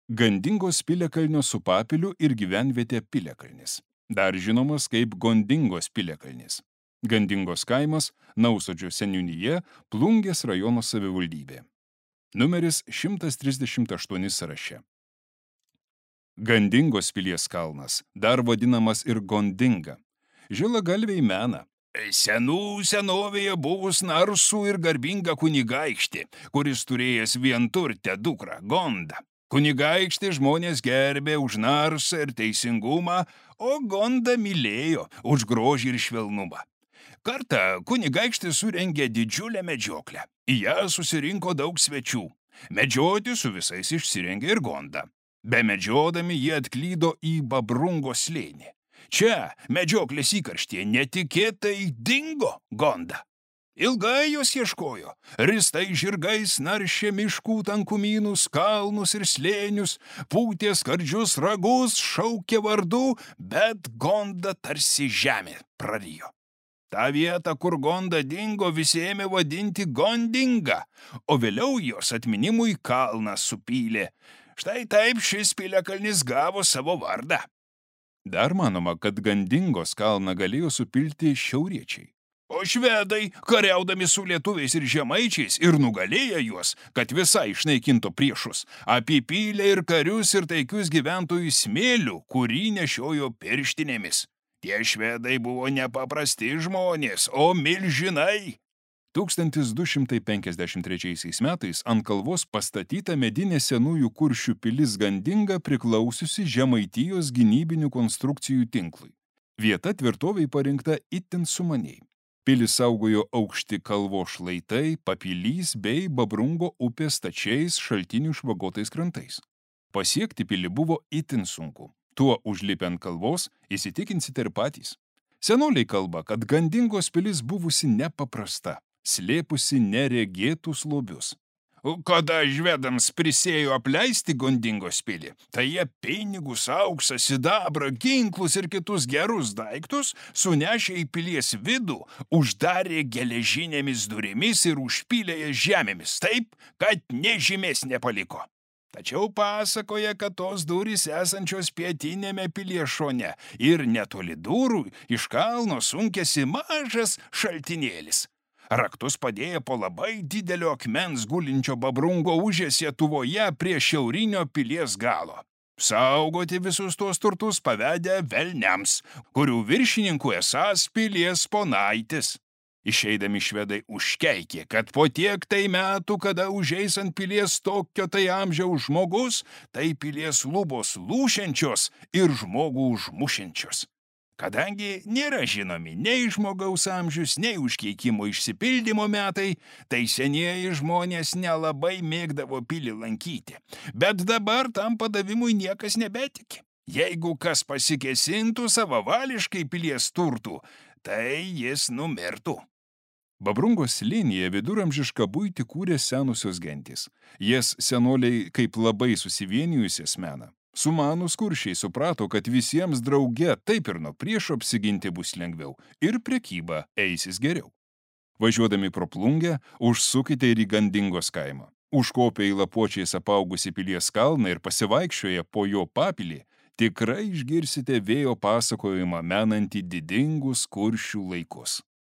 Gandingos piliakalnio su papiliu ir gyvenvietė Piliakalnis. Dar žinomas kaip Gondingos piliakalnis. Gandingos kaimas, Nausodžio seniūnija, Plungės rajono savivaldybė. Numeris 138 sąraše. Gandingos pilies kalnas, dar vadinamas ir Gondinga. Žilagalviai mena. Senų senovėje buvus narsų ir garbinga kunigaikštė, kuris turėjęs vienturtę dukrą Gondą. Kunigaikštė žmonės gerbė už narsą ir teisingumą, o Gondą mylėjo už grožį ir švelnumą. Kartą kunigaikštė surengė didžiulę medžioklę. Į ją susirinko daug svečių. Medžioti su visais išsirengė ir Gondą. Bemedžiodami jie atklydo į Babrungo slėnį. Čia, medžioklės įkarštyje, netikėtai dingo Gonda. Ilgai jos ieškojo. Ristai žirgais naršė miškų tankumynus, kalnus ir slėnius, pūtė skardžius ragus, šaukė vardu, bet Gonda tarsi žemė prarijo. Ta vieta, kur Gonda dingo, visi ėmė vadinti Gondinga, o vėliau jos atminimui kalną supylė. Štai taip šis piliakalnis gavo savo vardą. Dar manoma, kad Gandingos kalną galėjo supilti šiauriečiai. O švedai, kariaudami su lietuviais ir žemaičiais ir nugalėję juos, kad visai išnaikintų priešus, apipylė ir karius ir taikius gyventojus smėliu, kurį nešiojo pirštinėmis. Tie švedai buvo nepaprasti žmonės, o milžinai. 1253 metais ant kalvos pastatyta medinė senųjų Kuršių pilis Gandinga priklausiusi Žemaitijos gynybinių konstrukcijų tinklui. Vieta tvirtoviai parinkta itin sumaniai. Pilį saugojo aukšti kalvos šlaitai, papilys bei Babrungo upės stačiais šaltinių švagotais krantais. Pasiekti pilį buvo itin sunku. Tuo užlipę ant kalvos įsitikinsite ir patys. Senoliai kalba, kad Gandingos pilis buvusi nepaprasta, slėpusi neregėtus lobius. Kada žvedams prisėjo apleisti Gondingos pilį, tai jie pinigus, auksą, sidabrą, ginklus ir kitus gerus daiktus sunešė į pilies vidų, uždarė geležinėmis durimis ir užpylė jas žemėmis taip, kad nė žymės nepaliko. Tačiau pasakoja, kad tos durys esančios pietinėme pilies šone ir netoli durų iš kalno sunkėsi mažas šaltinėlis. Raktus padėję po labai didelio akmens gulinčio Babrungo užės Lietuvoje prie šiaurinio pilies galo. Saugoti visus tuos turtus pavedė velniams, kurių viršininkų esąs pilies ponaitis. Išeidami švedai užkeikė, kad po tiek tai metų, kada užeis ant pilies tokio tai amžiaus žmogus, tai pilies lubos lūšiančios ir žmogų užmušiančios. Kadangi nėra žinomi nei žmogaus amžius, nei užkeikimo išsipildymo metai, tai senieji žmonės nelabai mėgdavo pilį lankyti. Bet dabar tam padavimui niekas nebetiki. Jeigu kas pasikesintų savavališkai pilies turtų, tai jis numirtų. Babrungos slėnyje viduramžišką buitį kūrė senusios gentys. Jas senoliai kaip labai susivienijusias mena. Sumanūs kuršiai suprato, kad visiems drauge taip ir nuo priešo apsiginti bus lengviau ir prekyba eisis geriau. Važiuodami pro Plungę, užsukite ir į Gandingos kaimą. Užkopę į lapuočiais apaugusi pilies kalną ir pasivaikščioję po jo papilį, tikrai išgirsite vėjo pasakojimą menantį didingus kuršių laikus.